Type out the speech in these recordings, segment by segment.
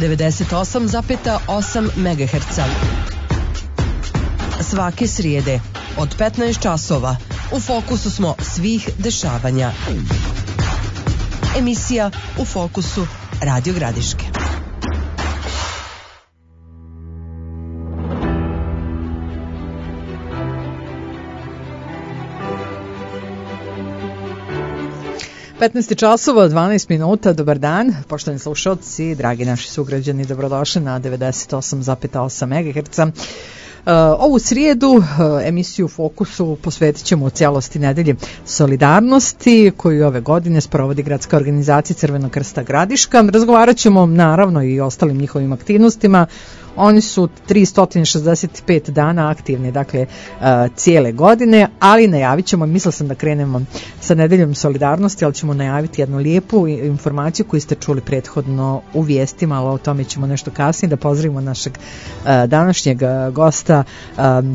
98,8 MHz. Svake srijede od 15 časova u fokusu smo svih dešavanja. Emisija U fokusu Radio Gradiške. časova, 12 minuta, dobar dan, poštovani slušalci, dragi naši sugrađani, dobrodošli na 98,8 MHz. Ovu srijedu emisiju u fokusu posvetit ćemo u cijelosti nedelje solidarnosti koju ove godine sprovodi Gradska organizacija Crvenog krsta Gradiška. Razgovarat ćemo naravno i o ostalim njihovim aktivnostima. Oni su 365 dana aktivni, dakle cijele godine, ali najavit ćemo, mislila sam da krenemo sa nedeljom solidarnosti, ali ćemo najaviti jednu lijepu informaciju koju ste čuli prethodno u vijestima, ali o tome ćemo nešto kasnije. Da pozdravimo našeg današnjeg gosta,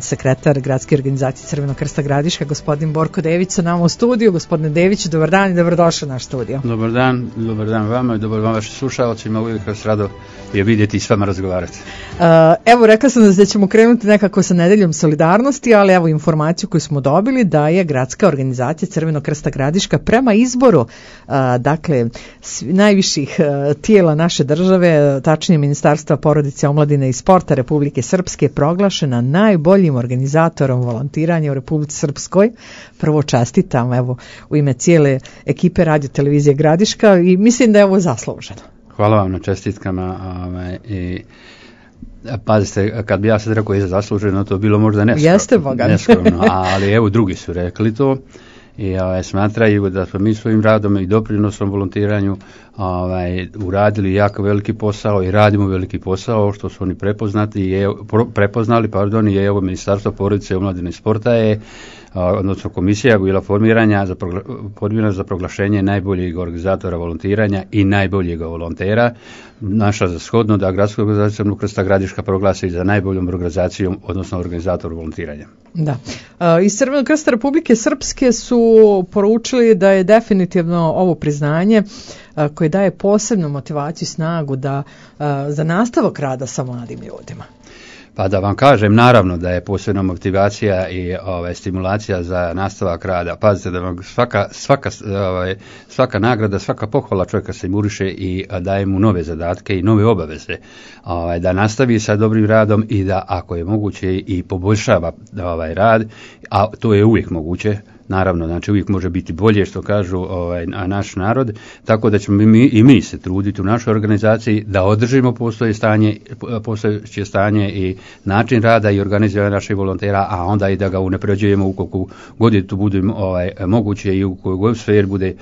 sekretar Gradske organizacije Crvenog krsta Gradiška, gospodin Borko Dević sa nama u studiju. Gospodine Dević, dobar dan i dobrodošli u naš studio. Dobar dan vama i dobar vam vašim slušalcima, uvijek vas rado je vidjeti i s vama razgovarati. Evo, rekla sam da ćemo krenuti nekako sa nedeljom solidarnosti, ali evo informaciju koju smo dobili da je Gradska organizacija Crvenog krsta Gradiška prema izboru dakle najviših tijela naše države, tačnije Ministarstva porodice, omladine i sporta Republike Srpske, proglašena najboljim organizatorom volontiranja u Republici Srpskoj. Prvo čestitam evo u ime cijele ekipe Radio Televizije Gradiška i mislim da je ovo zasluženo. Hvala vam na čestitkama i pazite, kad bi ja sad rekao je zasluženo, to bilo možda neskromno, ali evo drugi su rekli to i smatraju da smo mi svojim radom i doprinosom volontiranju uradili jako veliki posao i radimo veliki posao, što su oni prepoznali i evo Ministarstvo porodice, omladine i sporta je odnosno komisija bila formirana za proglašenje najboljeg organizatora volontiranja i najboljeg volontera. Naša za shodno da Gradska organizacija Crvenog krsta Gradiška proglasi za najboljom organizacijom, odnosno organizator volontiranja. Da. Iz Crvenog krsta Republike Srpske su poručili da je definitivno ovo priznanje koje daje posebnu motivaciju i snagu za nastavak rada sa mladim ljudima. Pa da vam kažem, naravno da je posebna motivacija i stimulacija za nastavak rada. Pazite da vam svaka nagrada, svaka pohvala čovjeka se muriše i daje mu nove zadatke i nove obaveze. Da nastavi sa dobrim radom i da ako je moguće i poboljšava rad, a to je uvijek moguće. Naravno, znači uvijek može biti bolje, što kažu naš narod, tako da ćemo mi se truditi u našoj organizaciji da održimo postojeće stanje i način rada i organiziranja naših volontera, a onda i da ga unapređujemo ukoliko god je to bude moguće i u kojoj god sferi bude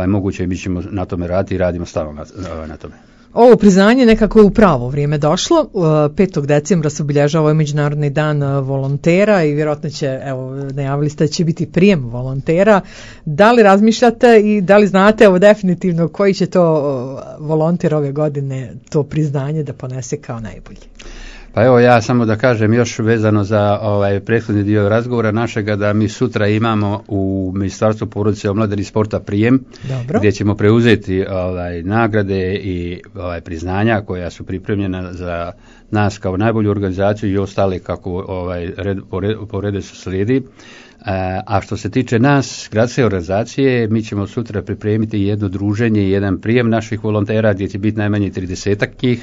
moguće, mi ćemo na tome raditi i radimo stalno na tome. Ovo priznanje nekako je u pravo vrijeme došlo. 5. decembra se obilježava ovaj Međunarodni dan volontera i vjerojatno će, evo, najavili ste da će biti prijem volontera. Da li razmišljate i da li znate, evo, definitivno koji će to volonter ove godine to priznanje da ponese kao najbolji? Pa evo ja samo da kažem još vezano za prethodni dio razgovora našega, da mi sutra imamo u Ministarstvu porodice, omladine i sporta prijem. Dobro. Gdje ćemo preuzeti nagrade i priznanja koja su pripremljena za nas kao najbolju organizaciju i ostale kako po redu se slijedi. A što se tiče nas, Gradske organizacije, mi ćemo sutra pripremiti jedno druženje i jedan prijem naših volontera gdje će biti najmanje 30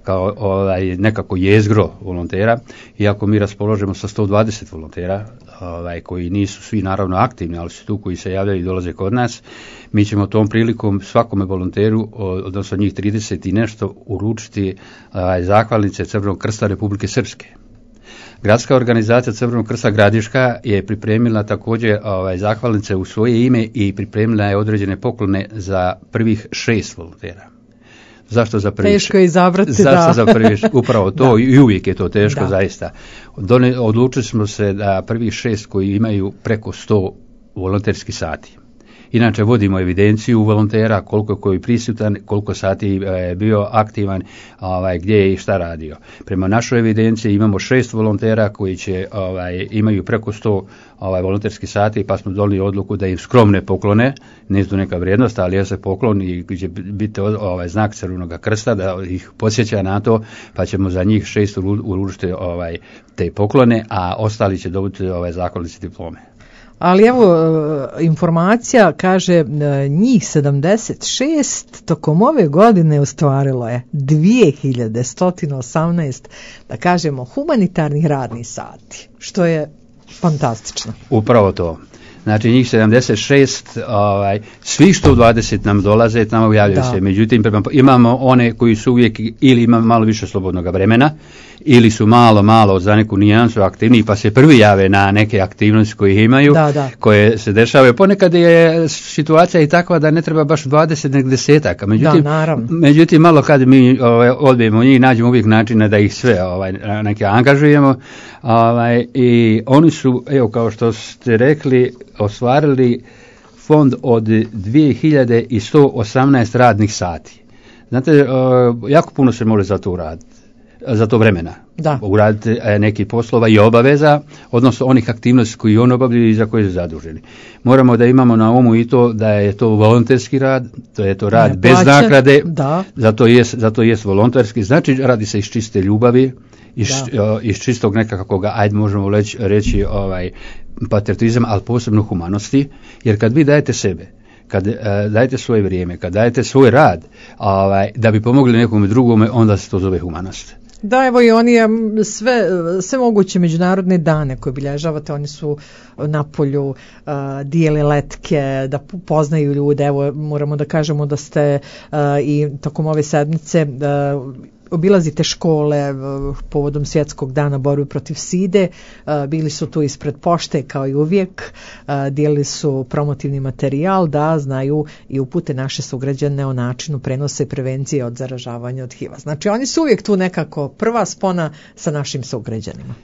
kao nekako jezgro volontera, iako mi raspoložimo sa 120 volontera koji nisu svi naravno aktivni, ali su tu koji se javljaju i dolaze kod nas. Mi ćemo tom prilikom svakome volonteru, odnosno njih 30 i nešto, uručiti zahvalnice Crvenog krsta Republike Srpske. Gradska organizacija Crvenog krsta Gradiška je pripremila također zahvalnice u svoje ime i pripremila je određene poklone za prvih 6 volontera. Zašto za prvi? Teško je izabrati, zašto za prvi? Upravo to i uvijek je to teško, zaista. Odlučili smo se da prvih 6 koji imaju preko 100 volonterskih sati Inače vodimo evidenciju volontera, koliko je koji prisutan, koliko sati je bio aktivan, gdje je i šta radio. Prema našoj evidenciji imamo 6 volontera koji će imaju preko 100 volonterskih sati, pa smo donijeli odluku da im skromne poklone, nije tu neka vrijednost, ali se poklon i će biti znak Crvenog krsta da ih podsjeća na to, pa ćemo za njih 6 uručiti te poklone, a ostali će dobiti zahvalnice diplome. Ali evo, informacija kaže njih 76 tokom ove godine ostvarilo je 2118, da kažemo, humanitarnih radnih sati, što je fantastično. Upravo to. Znači njih 76, svi 120 nam dolaze, tamo javljaju se. Međutim, imamo one koji su uvijek ili ima malo više slobodnog vremena, ili su malo za neku nijansu aktivniji, pa se prvi jave na neke aktivnosti koje imaju, koje se dešavaju. Ponekad je situacija i takva da ne treba baš 20 nek desetaka. Međutim, malo kad mi odbijemo njih, nađemo uvijek načina da ih sve neke angažujemo. I oni su, evo kao što ste rekli, ostvarili fond od 2118 radnih sati. Znate, jako puno se može za to uraditi, za to vremena. Uraditi neki poslova i obaveza, odnosno onih aktivnosti koji on obavljaju i za koje su zaduženi. Moramo da imamo na umu i to da je to volonterski rad, to je to rad bez nagrade, zato jest volonterski, znači radi se iz čiste ljubavi, iz čistog nekakvog, možemo reći patriotizam, ali posebno humanosti, jer kad vi dajete sebe, kad dajete svoje vrijeme, kad dajete svoj rad, da bi pomogli nekome drugome, onda se to zove humanost. Da, evo i oni sve moguće međunarodne dane koje obilježavate, oni su na polju, dijele letke, da poznaju ljude. Evo, moramo da kažemo da ste i tokom ove sedmice obilazite škole povodom Svjetskog dana borbe protiv side, bili su tu ispred pošte kao i uvijek, dijelili su promotivni materijal da znaju i upute naše sugrađane o načinu prenose i prevencije od zaražavanja od HIV-a. Znači oni su uvijek tu nekako prva spona sa našim sugrađanima.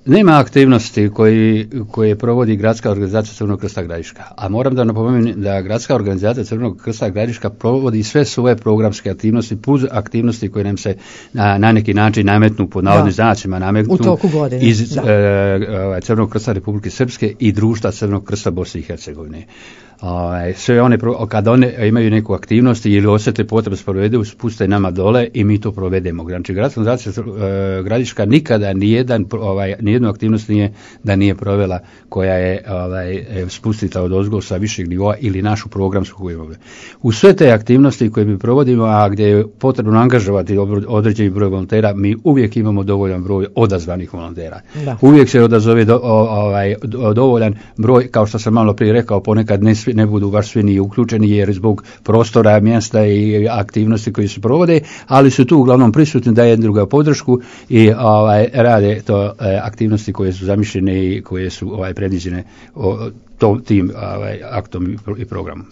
Nema aktivnosti koje provodi Gradska organizacija Crvenog krsta Gradiška, a moram da napomenem da Gradska organizacija Crvenog krsta Gradiška provodi sve svoje programske aktivnosti plus aktivnosti koje nam se na neki način nametnu, pod navodnim znacima nametnu iz Crvenog krsta Republike Srpske i društva Crvenog krsta Bosne i Hercegovine. Sve one, kada one imaju neku aktivnost ili osjete potrebu sprovedu, spuste nama dole i mi to provedemo. Znači, Gradska organizacija Gradiška nikada nijednu aktivnost nije provela koja je spustita od ozgo sa višeg nivoa ili našu programsku koju imamo. U sve te aktivnosti koje mi provodimo, a gdje je potrebno angažovati određeni broj volontera, mi uvijek imamo dovoljan broj odazvanih volontera. Uvijek se odazove dovoljan broj, kao što sam malo prije rekao, ponekad ne budu baš svi ni uključeni jer zbog prostora, mjesta i aktivnosti koje se provode, ali su tu uglavnom prisutni da jednu druga podršku i rade to aktivnosti koje su zamišljene i koje su predviđene tim aktom i programom.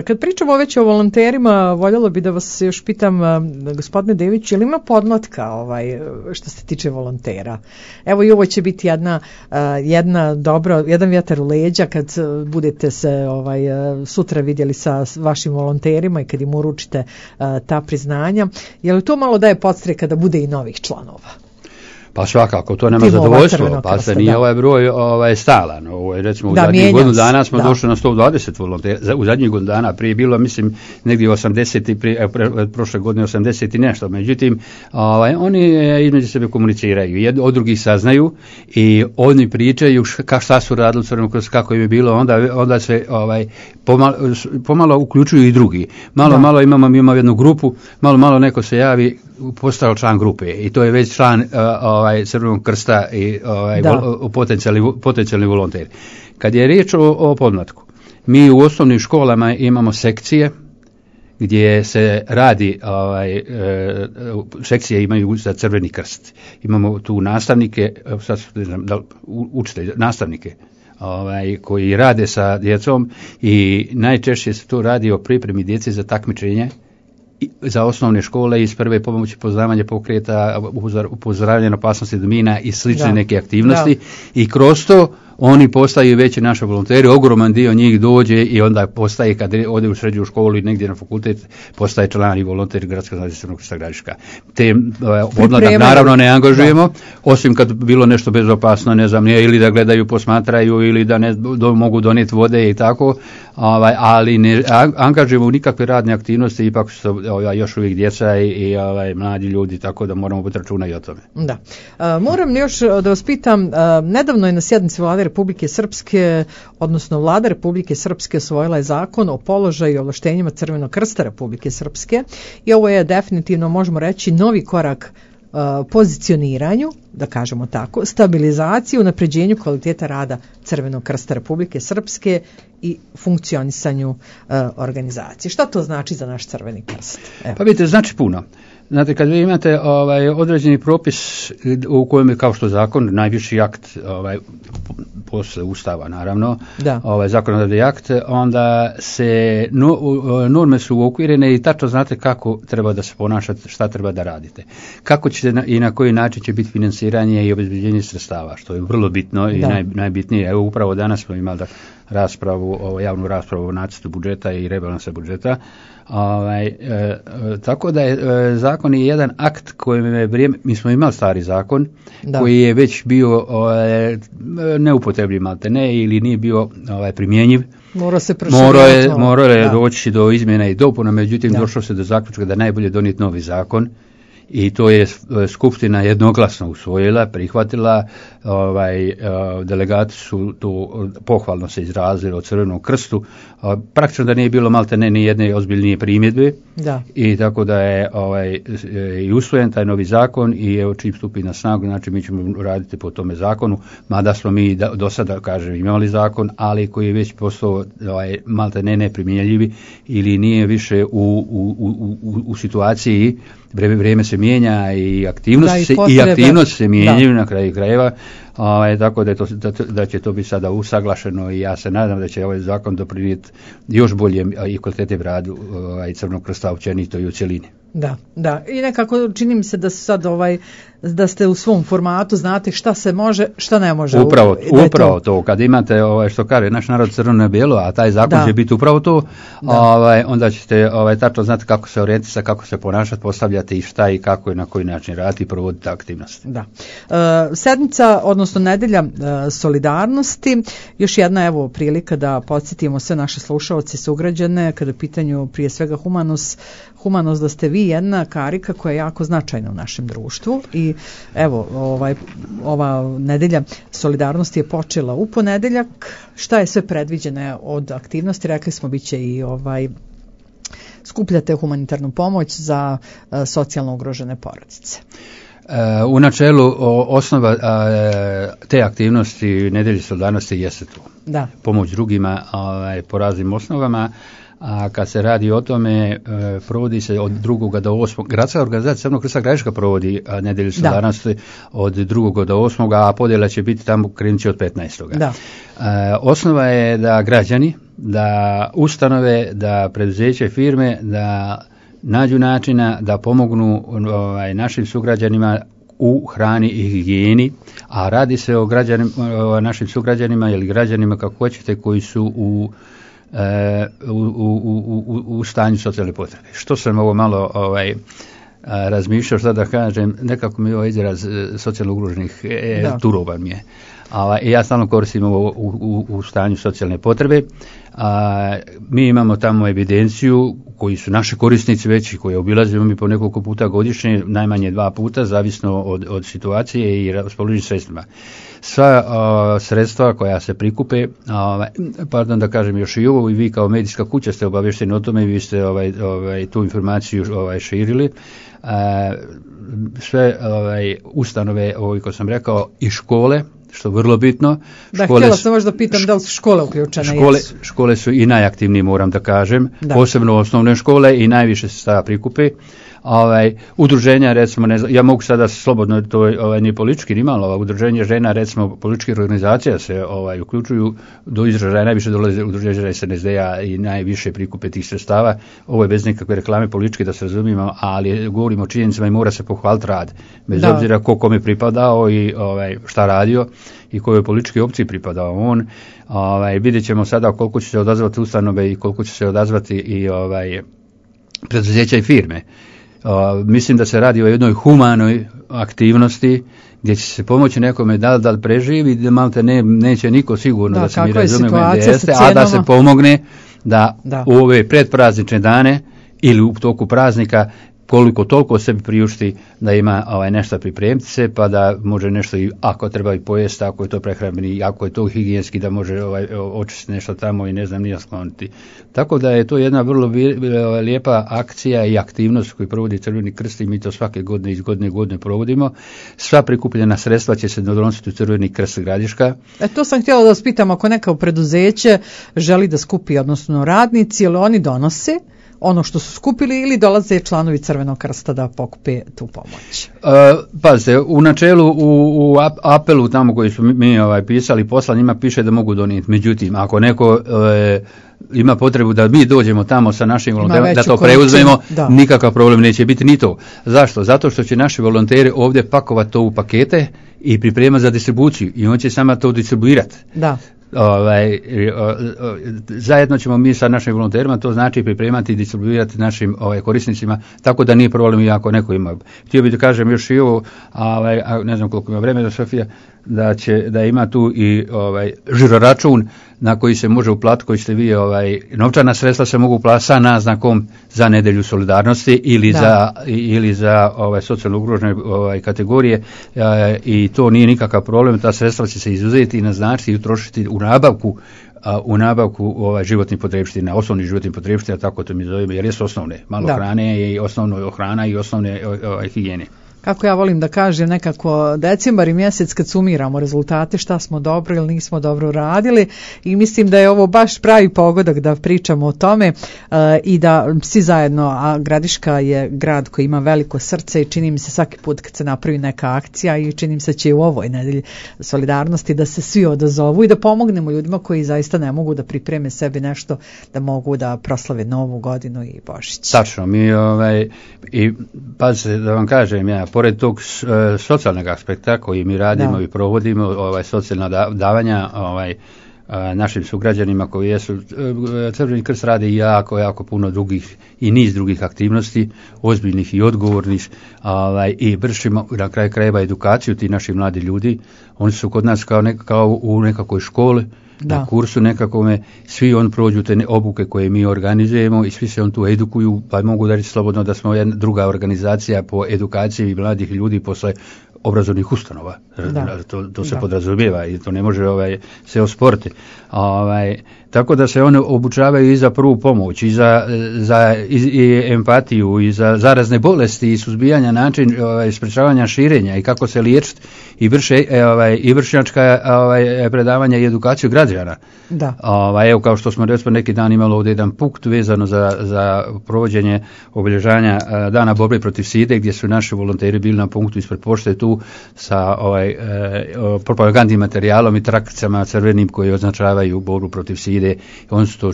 Kad pričamo već o volonterima, voljelo bi da vas još pitam, gospodine Dević, je li ima podmlatka što se tiče volontera? Evo i ovo će biti jedan vjetar u leđa kad budete se sutra vidjeli sa vašim volonterima i kad im uručite ta priznanja. Je li to malo daje podstreka da bude i novih članova? Pa svakako, to nema zadovoljstvo, pa se nije ovaj broj stalan. Recimo, u zadnjih godinu dana smo došli na 120 volontera, u zadnjih godinu dana, prije bilo, mislim, negdje 80, prošle godine 80 i nešto. Međutim, oni između sebe komuniciraju, od drugih saznaju i oni pričaju šta su radili, kako im je bilo, onda se pomalo uključuju i drugi. Malo imamo jednu grupu, malo neko se javi, postao član grupe i to je već član Crvenog krsta i potencijalni volonter. Kad je riječ o podmlatku, mi u osnovnim školama imamo sekcije gdje se radi, sekcije imaju za Crveni krst. Imamo tu nastavnike, učitelje, nastavnike koji rade sa djecom i najčešće se to radi o pripremi djece za takmičenje za osnovne škole iz prve pomoći poznavanja pokreta, upozoravanja na opasnosti od mina i slične neke aktivnosti i kroz to oni postaju veći naši volonteri, ogroman dio njih dođe i onda postaje, kad ode u srednju školu i negdje na fakultet, postaje član i volonter Gradska zajednica Crvenog krsta Gradiška. Te odmladak naravno ne angažujemo, osim kad bilo nešto bezopasno, ne znam, ili da gledaju, posmatraju, ili da ne mogu donijeti vode i tako, ali ne angažujemo u nikakve radne aktivnosti, ipak su još uvijek djeca i mladi ljudi, tako da moramo biti računa i o tome. Da. Moram još da vas pitam, nedavno je na sjednici Vlade Republike Srpske, odnosno Vlada Republike Srpske osvojila je zakon o položaju i ovlaštenjima Crvenog krsta Republike Srpske i ovo je definitivno, možemo reći, novi korak pozicioniranju, da kažemo tako, stabilizaciji, unapređenju kvaliteta rada Crvenog krsta Republike Srpske i funkcionisanju organizacije. Šta to znači za naš Crveni krst? Evo. Pa vidite, znači puno. Znate, kad vi imate određeni propis u kojem je, kao što zakon, najviši akt posle Ustava, naravno, zakonodavni akt, onda se norme su uokvirene i tačno znate kako treba da se ponašate, šta treba da radite. Kako ćete i na koji način će biti financiranje i obezbeđenje sredstava, što je vrlo bitno i najbitnije. Evo, upravo danas smo imali javnu raspravu o nacrtu budžeta i rebalansa budžeta. Tako da je zakon je jedan akt kojim je vrijeme, mi smo imali stari zakon koji je već bio neupotrebljiv maltene ili nije bio primjenjiv. Morao je doći do izmjena i dopuna, međutim došlo se do zaključka da najbolje donijeti novi zakon. I to je Skupština jednoglasno usvojila, prihvatila, delegati su to pohvalno se izrazili o Crvenom krstu, praktično da nije bilo maltene ni jedne ozbiljnije primjedbe i tako da je i usvojen taj novi zakon i evo čim stupi na snagu, znači mi ćemo raditi po tome zakonu, mada smo mi do sada, kažem, imali zakon, ali koji je već postao maltene neprimjenjivi ili nije više u situaciji. Vrijeme se mijenja i aktivnosti se mijenjaju na kraju krajeva, tako da će to biti sada usaglašeno i ja se nadam da će ovaj zakon doprinijeti još boljem i kvalitetnijem radu Crvenog krsta općenito i u cjelini. Da. I nekako čini mi se da sad da ste u svom formatu, znate šta se može, šta ne može. Upravo to. Kad imate što kaže naš narod crveno na bijelo, a taj zakon će biti upravo to, onda ćete tačno znati kako se orijentisati, kako se ponašati, postavljati i šta i kako i na koji način raditi i provoditi aktivnosti. Da. Sedmica, odnosno nedelja solidarnosti, još jedna evo prilika da podsjetimo sve naše slušaoce i sugrađane kada je pitanju prije svega humanost, da ste vi jedna karika koja je jako značajna u našem društvu i evo ova nedelja solidarnosti je počela u ponedeljak. Šta je sve predviđeno od aktivnosti? Rekli smo biće i skupljate humanitarnu pomoć za socijalno ugrožene porodice. U načelu osnova te aktivnosti nedelje solidarnosti jeste to. Pomoć drugima po raznim osnovama. A kad se radi o tome, provodi se od 2. do 8. Gradska organizacija Crvenog krsta Gradiška provodi nedelju solidarnosti od 2. do 8. a podjela će biti tamo krenući od 15. Osnova je da građani, da ustanove, da preduzeće, firme, da nađu načina da pomognu našim sugrađanima u hrani i higijeni, a radi se o našim sugrađanima ili građanima kako hoćete koji su u stanju socijalne potrebe. Što sam ovo malo razmišljao, šta da kažem, nekako mi je ovaj izraz socijalno ugroženih turoban mi je. Ja stalno koristim ovo u stanju socijalne potrebe. Mi imamo tamo evidenciju koji su naši korisnici već, koje obilazimo mi po nekoliko puta godišnje, najmanje 2 puta, zavisno od situacije i raspoloženih sredstvima. Sva sredstva koja se prikupe, da kažem još i ovo, i vi kao medijska kuća ste obavješteni o tome i vi ste tu informaciju širili. Sve ustanove, kako sam rekao, i škole, što je vrlo bitno. Htjela sam možda pitam da li su škole uključene. Škole su i najaktivniji, moram da kažem, posebno osnovne škole i najviše se sredstava prikupe, udruženja, recimo, ne znam, ja mogu sada slobodno, to nije politički ni malo, udruženje žena, recimo, političkih organizacija se uključuju, do izražaja najviše dolaze udruženja SNSD-a i najviše prikupe tih sredstava. Ovo je bez nekakve reklame političke, da se razumijemo, ali govorimo o činjenicama i mora se pohvaliti rad, bez obzira ko kome pripadao i šta radio i kojoj političkoj opciji pripadao on. Vidjet ćemo sada koliko će se odazvati ustanove i koliko će se odazvati i preduzeća i firme. Mislim da se radi o jednoj humanoj aktivnosti gdje će se pomoći nekome da li preživi, da malte neće niko sigurno da se mi razumijemo jeste, a da se pomogne da u ove predpraznične dane ili u toku praznika koliko toliko sebi priušti da ima nešto pripremiti se, pa da može nešto i ako treba i pojesti, ako je to prehrambeni, ako je to higijenski, da može očistiti nešto tamo i ne znam nije skloniti. Tako da je to jedna vrlo lijepa akcija i aktivnost koju provodi Crveni krst i mi to svake godine iz godine u godine provodimo. Sva prikupljena sredstva će se donositi u Crveni krst Gradiška. To sam htjela da vas pitam, ako neko preduzeće želi da skupi, odnosno radnici, ili oni donose ono što su skupili ili dolaze članovi Crvenog krsta da pokupe tu pomoć? Pazite, u načelu u apelu tamo koji su mi pisali posla njima piše da mogu donijeti. Međutim, ako neko ima potrebu da mi dođemo tamo sa našim volonterima, da to preuzmemo, nikakav problem neće biti ni to. Zašto? Zato što će naši volonteri ovdje pakovati to u pakete i pripremati za distribuciju i on će sama to distribuirati. Da. Zajedno ćemo mi sa našim volonterima to znači pripremati i distribuirati našim korisnicima, tako da nije problem i ako neko ima. Htio bih da kažem još i ovo, ne znam koliko ima vremena, Sofija, da ima tu i žiroračun na koji se može uplatiti, koji ste vi novčana sredstva se mogu uplatiti sa naznakom za nedjelju solidarnosti ili za socijalno ugrožene kategorije i to nije nikakav problem. Ta sredstva će se izuzeti i naznačiti i utrošiti u nabavku životnih potrepština, osnovnih životnih potrepština, tako to mi zovemo, jer jesu osnovne, malo hrane i osnovno hrana i osnovne higijene. Kako ja volim da kažem, nekako decembar i mjesec kad sumiramo rezultate, šta smo dobro ili nismo dobro radili, i mislim da je ovo baš pravi pogodak da pričamo o tome i da svi zajedno, a Gradiška je grad koji ima veliko srce i čini mi se svaki put kad se napravi neka akcija i čini mi se će u ovoj nedelji solidarnosti da se svi odazovu i da pomognemo ljudima koji zaista ne mogu da pripreme sebi nešto da mogu da proslave Novu godinu i Božić. Tačno, mi i pazite da vam kažem ja, pored tog socijalnog aspekta koji mi radimo i provodimo, socijalna davanja našim sugrađanima koji jesu, Crveni krst radi jako puno drugih i niz drugih aktivnosti, ozbiljnih i odgovornih, i vršimo na kraju krajeva edukaciju ti naši mladi ljudi. Oni su kod nas kao u nekakvoj školi, na kursu nekakvome, svi on prođu te obuke koje mi organizujemo i svi se on tu edukuju, pa mogu da reći slobodno da smo jedna druga organizacija po edukaciji mladih ljudi posle obrazovnih ustanova. To se podrazumijeva i to ne može se osporiti. Tako da se one obučavaju i za prvu pomoć, i za empatiju, i za zarazne bolesti, i suzbijanja način sprečavanja širenja i kako se liječiti, i vrše i vršnjačka predavanja i edukaciju građana. Evo, kao što smo recimo neki dan imali ovdje jedan punkt vezano za provođenje obilježanja dana borbe protiv side, gdje su naši volonteri bili na punktu ispred pošte tu sa propagandnim materijalom i trakicama crvenim koji označavaju borbu protiv side. Oni su to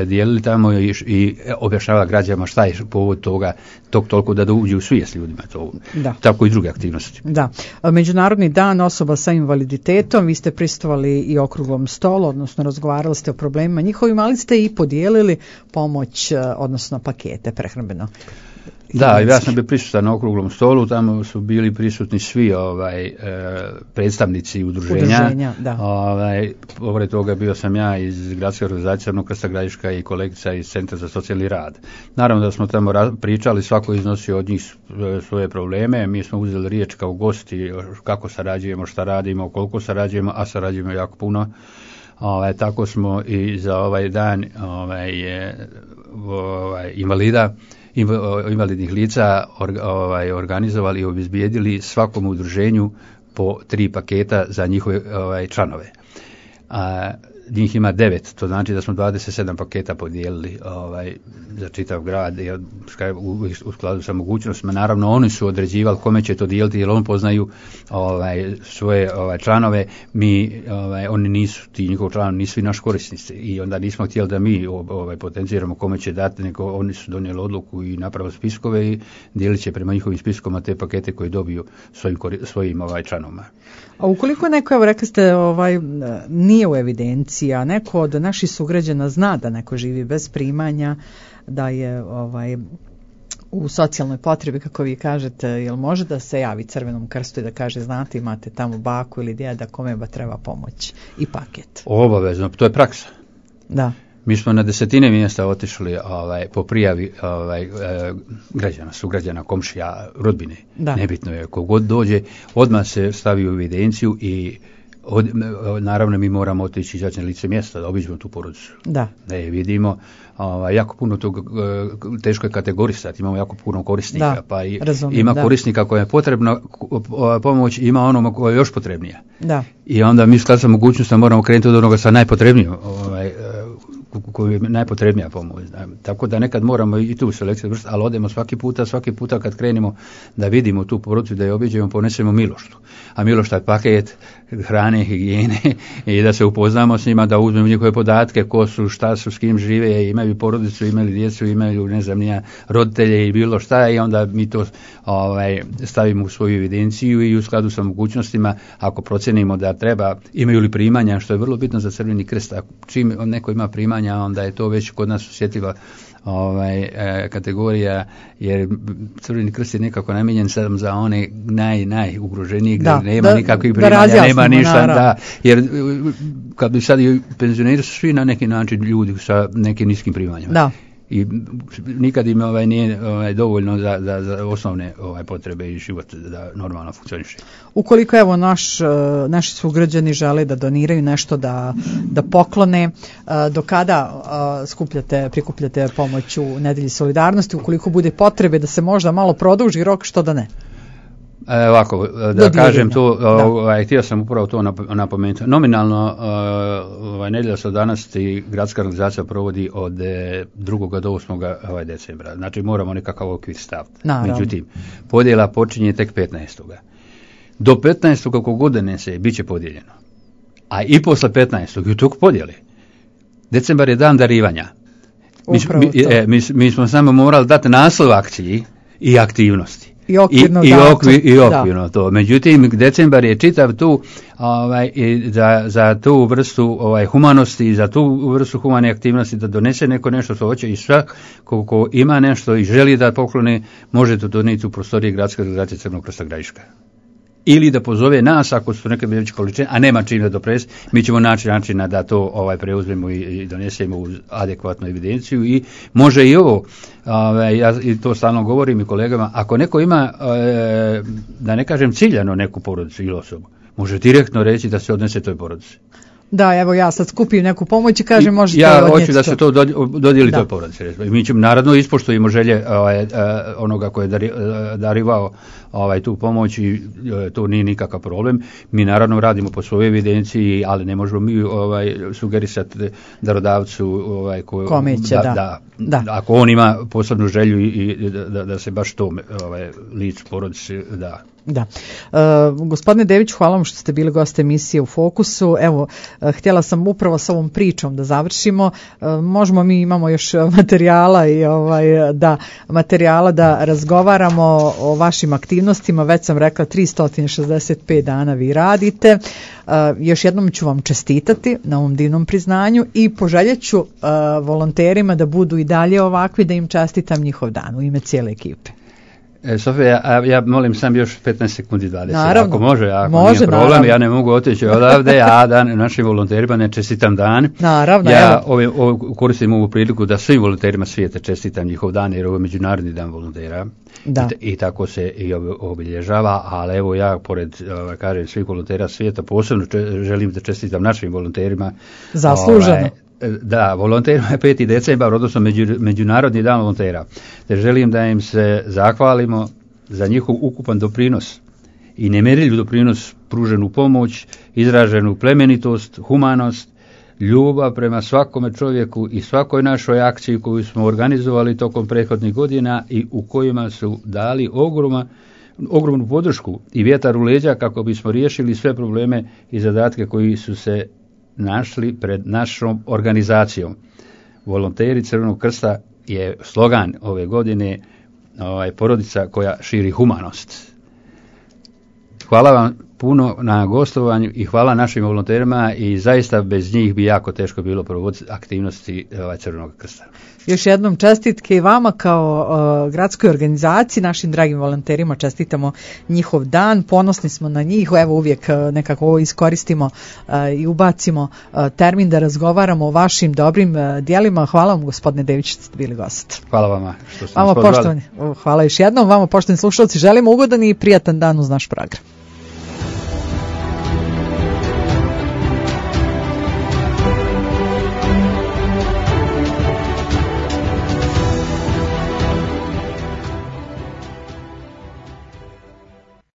dijelili tamo i objašnjava građanima šta je povod toga toliko da uđe u svijest ljudima. Tako i druge aktivnosti. Da. Međunarodni dan osoba sa invaliditetom, vi ste prisustvovali i okruglom stolu, odnosno razgovarali ste o problemima njihovim, ali ste i podijelili pomoć, odnosno pakete prehrambeno. Da, ja sam bio prisutan na okruglom stolu, tamo su bili prisutni svi predstavnici udruženja. Pored toga bio sam ja iz gradske organizacije Crvenog krsta Gradiška i kolegica iz Centra za socijalni rad. Naravno da smo tamo pričali, svako iznosio od njih svoje probleme, mi smo uzeli riječ kao gosti kako sarađujemo, šta radimo, koliko sarađujemo, a sarađujemo jako puno. Tako smo i za ovaj dan invalidnih lica organizovali i obezbijedili svakom udruženju po 3 paketa za njihove članove. njih ima 9, to znači da smo 27 paketa podijelili za čitav grad u skladu sa mogućnostima. Naravno, oni su određivali kome će to dijeliti, jer oni poznaju svoje članove, oni nisu, ti njihovi članovi nisu i naši korisnici i onda nismo htjeli da mi potenciramo kome će dati, nego oni su donijeli odluku i napravili spiskove i dijelit će prema njihovim spiskama te pakete koje dobiju svojim članovima. A ukoliko neko, evo rekli ste, nije u evidenciji, a neko od naših sugrađana zna da neko živi bez primanja, da je u socijalnoj potrebi, kako vi kažete, jel može da se javi Crvenom krstu i da kaže, znate, imate tamo baku ili djeda kome ba treba pomoć i paket? Obavezno, to je praksa. Da. Mi smo na 10 mjesta otišli po prijavi građana, sugrađana, komšija, rodbine. Da. Nebitno je, kogod dođe, odmah se stavi u evidenciju i naravno mi moramo otići izaći na lice mjesta da obiđemo tu porodicu. Da je vidimo. Jako puno tog, teško je kategorisati, imamo jako puno korisnika, pa ima korisnika koja je potrebna pomoć, ima onoma koja je još potrebnija. Da. I onda mi sklad sa mogućnostima moramo krenuti od onoga sa najpotrebnijim, koji je najpotrebnija pomoć. Tako da nekad moramo i tu selekciju vršiti, ali odemo svaki puta kad krenemo da vidimo tu porodicu, da je obiđemo, ponesemo miloštu. A milošta je paket hrane, higijene i da se upoznamo s njima, da uzmemo njihove podatke, ko su, šta su, s kim žive, imaju porodicu, imaju djecu, imaju, ne znam, roditelje i bilo šta, i onda mi to stavimo u svoju evidenciju i u skladu sa mogućnostima, ako procenimo da treba, imaju li primanja, što je vrlo bitno za Crveni krst. Čim neko ima primanja, onda je to već kod nas osjetljiva kategorija, jer Crveni krst je nekako namijenjen sam za one najugroženije, gdje nema nikakvih primanja, nema ništa, jer kad bi sad i penzioneri su svi na neki način ljudi sa nekim niskim primanjama. Da. I nikad im nije dovoljno za osnovne potrebe i život da normalno funkcioniše. Ukoliko evo naši sugrađani žele da doniraju nešto, da poklone, do kada prikupljate pomoć u Nedelji solidarnosti, ukoliko bude potrebe da se možda malo produži rok, što da ne? Ovako, da kažem to, htio sam upravo to napomenuti. Nominalno Nedjelja solidarnosti gradska organizacija provodi od 2. do 8. decembra. Znači moramo nekakav okvir staviti. Međutim, podjela počinje tek 15. Do 15. kako godine se bit će podijeljeno. A i posle 15. i u toku podjele. Decembar je dan darivanja. Mi smo samo morali dati naslov akciji i aktivnosti. I okvirno to. Međutim, decembar je čitav tu za tu vrstu humanosti i za tu vrstu humane aktivnosti, da donese neko nešto što hoće, i svak ko ima nešto i želi da poklone, može to donijeti u prostoriji Gradske organizacije Crvenog krsta Gradiška. Ili da pozove nas ako su neke veće količine, a nema čim da dopres, mi ćemo naći načina da to preuzmemo i donesemo u adekvatnu evidenciju. I može i ovo, ja i to stalno govorim i kolegama, ako neko ima, da ne kažem ciljano neku porodicu ili osobu, može direktno reći da se odnese toj porodici. Da, evo ja sad skupim neku pomoć i kažem možete odnijeti. Ja hoću da se to dodijeli toj porodici. Mi ćemo, naravno, ispoštujemo želje onoga koji je darivao tu pomoć i to nije nikakav problem. Mi naravno radimo po svojoj evidenciji, ali ne možemo mi sugerisati darodavcu kome će, ako on ima posebnu želju i da se baš to licu porodici da. Da. Gospodine Dević, hvala vam što ste bili gost emisije U fokusu. Evo, htjela sam upravo s ovom pričom da završimo. Možemo, mi imamo još materijala da razgovaramo o vašim aktivnostima. Već sam rekla, 365 dana vi radite. Još jednom ću vam čestitati na ovom divnom priznanju i poželjet ću volonterima da budu i dalje ovakvi, da im čestitam njihov dan u ime cijele ekipe. Sofija, ja molim sam još 15 sekundi 20. Naravno, ako može nije problem, naravno. Ja ne mogu otići odavde, a našim volonterima ne čestitam dan. Naravno, ja koristim ovu priliku da svim volonterima svijeta čestitam njihov dan, jer ovo je Međunarodni dan volontera. I tako se i obilježava, ali evo ja pored kažem svih volontera svijeta posebno želim da čestitam našim volonterima. Zasluženo. Da, volonterima je 5. decembar, odnosno Međunarodni dan volontera. Te želim da im se zahvalimo za njihov ukupan doprinos i nemjerljiv doprinos, pruženu pomoć, izraženu plemenitost, humanost, ljubav prema svakome čovjeku i svakoj našoj akciji koju smo organizovali tokom prethodnih godina i u kojima su dali ogromnu podršku i vjetar u leđa kako bismo riješili sve probleme i zadatke koji su se našli pred našom organizacijom. Volonteri Crvenog krsta je slogan ove godine porodica koja širi humanost. Hvala vam puno na gostovanju i hvala našim volonterima i zaista bez njih bi jako teško bilo provoditi aktivnosti Crvenog krsta. Još jednom čestitke i vama kao gradskoj organizaciji, našim dragim volonterima čestitamo njihov dan, ponosni smo na njih, evo uvijek nekako ovo iskoristimo i ubacimo termin da razgovaramo o vašim dobrim djelima. Hvala vam gospodine Dević što ste bili gost. Hvala vama što ste nas pozvali. Hvala još jednom, vama poštovani slušalci, želimo ugodan i prijatan dan uz naš program.